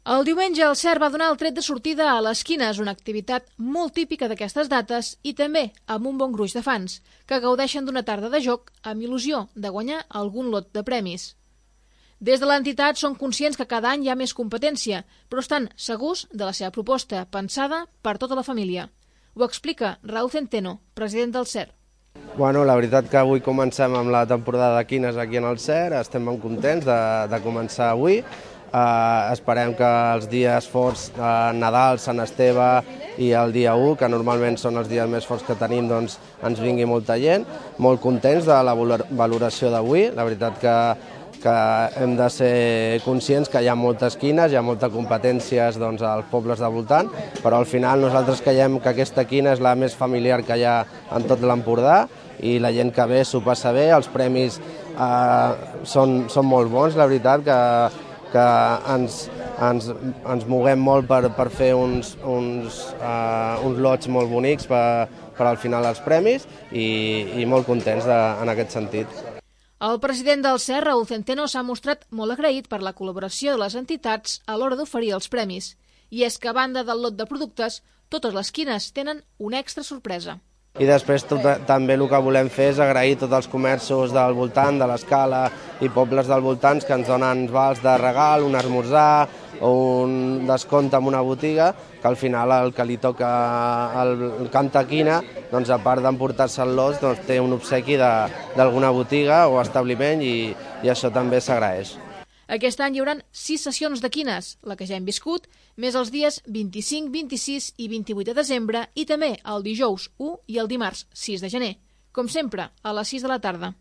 El diumenge el CERT va donar el tret de sortida a les quines, una activitat molt típica d'aquestes dates i també amb un bon gruix de fans, que gaudeixen d'una tarda de joc amb il·lusió de guanyar algun lot de premis. Des de l'entitat són conscients que cada any hi ha més competència, però estan segurs de la seva proposta, pensada per tota la família. Ho explica Raúl Centeno, president del CERT. Bueno, la veritat que avui comencem amb la temporada de quines aquí en el CERT, estem molt contents de començar avui. Esperem que els dies forts, Nadal, Sant Esteve i el dia 1, que normalment són els dies més forts que tenim, doncs ens vingui molta gent. Molt contents de la valoració d'avui, la veritat que hem de ser conscients que hi ha moltes quines, hi ha moltes competències als pobles de voltant, però al final nosaltres creiem que aquesta quina és la més familiar que hi ha en tot l'Empordà i la gent que ve s'ho passa bé, els premis són molt bons, la veritat que ens moguem molt per fer uns lots molt bonics per al final els premis i molt contents en aquest sentit. El president del CERT, Raúl Centeno, s'ha mostrat molt agraït per la col·laboració de les entitats a l'hora d'oferir els premis. I és que, a banda del lot de productes, totes les quines tenen una extra sorpresa. I després també el que volem fer és agrair tots els comerços del voltant, de l'Escala i pobles del voltant que ens donen vals de regal, un esmorzar o un descompte en una botiga, que al final el que li toca el cantaquina, doncs a part d'emportar-se el lot, doncs té un obsequi d'alguna botiga o establiment i això també s'agraeix. Aquest any hi haurà 6 sessions de quines, la que ja hem viscut, més els dies 25, 26 i 28 de desembre i també el dijous 1 i el dimarts 6 de gener, com sempre, a les 6 de la tarda.